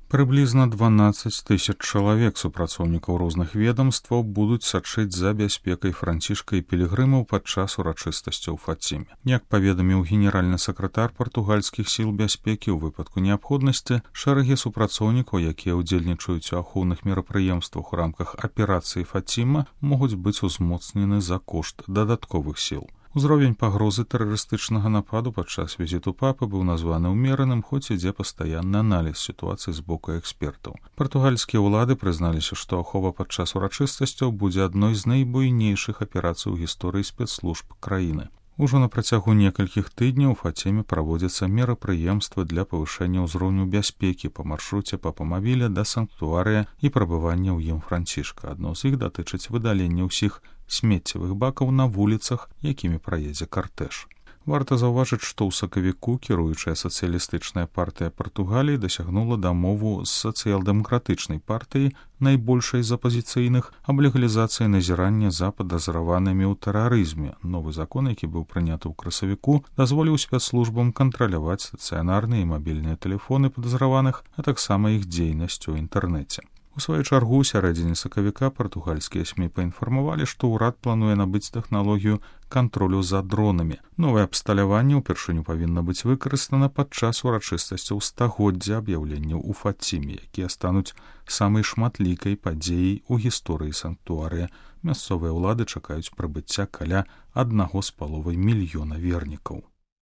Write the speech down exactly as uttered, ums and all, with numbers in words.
Прыблізна дванаццаць тысяч чалавек супрацоўнікаў розных ведомстваў будуць сачыць за бяспекай Францішка і пілігрымаў падчас урачыстасцяў у Фаціме. Як паведаміў генеральны сакратар партугальскіх сіл бяспекі, у выпадку неабходнасці шэрагі супрацоўнікаў, якія ўдзельнічаюць у ахоўных мерапрыемствах у рамках аперацыі Фаціма, могуць быць узмоцнены за кошт дадатковых сіл. Узровень пагрозы тэрарыстычнага нападу падчас візіту папы быў названы ўмераным, хоць ідзе пастаянны аналіз сітуацыі з боку экспертаў. Партугальскія ўлады прызналіся, што ахова падчас урачыстасцяў будзе адной з найбуйнейшых аперацый у гісторыі спецслужб краіны. Ужо на працягу некалькіх тыдняў у Фаціме праводзяцца мерапрыемствы для павышэння ўзроўню бяспекі па маршруце папамавіля да санктуарыя і прабывання ў ім Францішка. Адно з іх датычыць выдалення ўсіх смеццевых бакаў на вуліцах, якімі праедзе картэж. Варта заўважыць, што ў сакавіку кіруючая сацыялістычная партыя Партугаліі дасягнула дамову з сацыял-дэмакратычнай партыяй, найбольшай з апазіцыйных, аб легалізацыі назірання за падазраванымі ў тэрарызме. Новы закон, які быў прыняты ў красавіку, дазволіў спецслужбам кантраляваць стацыянарныя і мабільныя тэлефоны падазраваных, а таксама іх дзейнасць у інтэрнэце. У сваю чаргу, у сярэдзіне сакавіка партугальскія СМІ паінфармавалі, што ўрад плануе набыць тэхналогію кантролю за дронамі. Новае абсталяванне ўпершыню павінна быць выкарыстана падчас урачыстасцяў стагоддзя аб'яўленняў у Фаціме, якія стануць самай шматлікай падзеяй у гісторыі санктуарыя. Мясцовыя ўлады чакаюць прыбыцця каля аднаго з паловай мільёна вернікаў.